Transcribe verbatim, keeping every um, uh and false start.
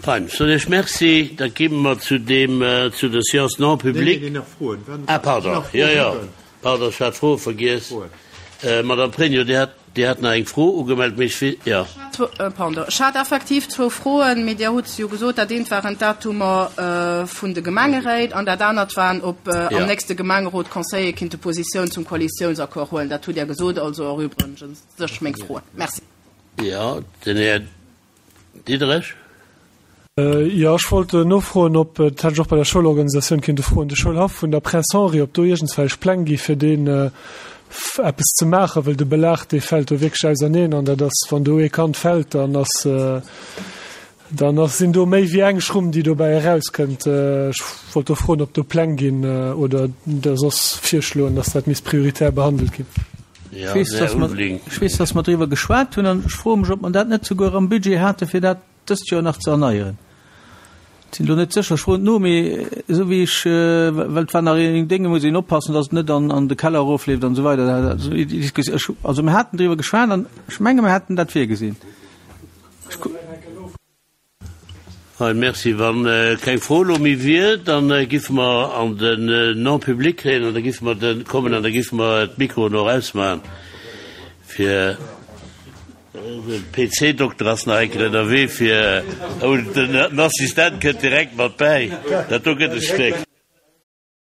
Fein, soen ech Merci. Da gi mer zu deem, zu der Séance non publique. Nee, nee, nach Froen. Ah, pardon, jo, jo, pardon, ech hat d'Froe vergiess. Madame Pregno, Dir hat, Dir hat nach eng Fro ugemellt, mee ech wee, jo. Pardon, ech hat effektiv zwou Froen, mee Dir hutt se jo gesot. Dat eent waren d'Datumer vun de Gemengeréit an dat anert waren, ob am nächste Gemengerot d'Conseiller kinnte Positioun zum Koalitiounsaccord huelen. Dat hutt Dir gesot, also erübregen sech meng Froen. Merci. Jo, den Här Diderich. Jo, ech wollt nofroen, ob, dat hätt ech och bei der Schoulorganisatioun kinnte froen, de Schoulhaff vun der Prince Henri, ob do iergendswelch Pläng gi fir deen eppes ze maachen, well de Belag, dee fält do wierklech auserneen an dat ass, wann do ee Kand fält, dann ass, dann ass, sinn do méi wéi eng Schrumm, déi dobäi erauskënnt. Ech wollt do froen, ob do Pläng ginn oder Der soss virschloen, dass dat misst prioritär behandelt ginn. Jo, den Här Ulveling. Ech weess, dass mer driwwer geschwat hunn an ech froe mech, ob mer dat net souguer am Budget hate fir dat dëst Joer nach ze erneieren. Ech sinn elo net sécher, ech froen et no, mee esou wéi ech, well et war nach een Dénge, muss een oppassen, datt et net an an de Keller erofleeft an esou weider. Ech, also mir haten driwwer geschwat an ech menge mir hätten dat virgesinn. Ech. Hei, merci. Wa keng Fro elo méi wier, da giffe mer an den Non-public kréien an da giffe mer de kommen an da giffe mer d'Mikroen och ausmachen, fir de P C-Dokter ass nach eng Kéier ënnerwee fir, oh, den Assistent kënnt direkt mat bäi, dat do gëtt e Stéck.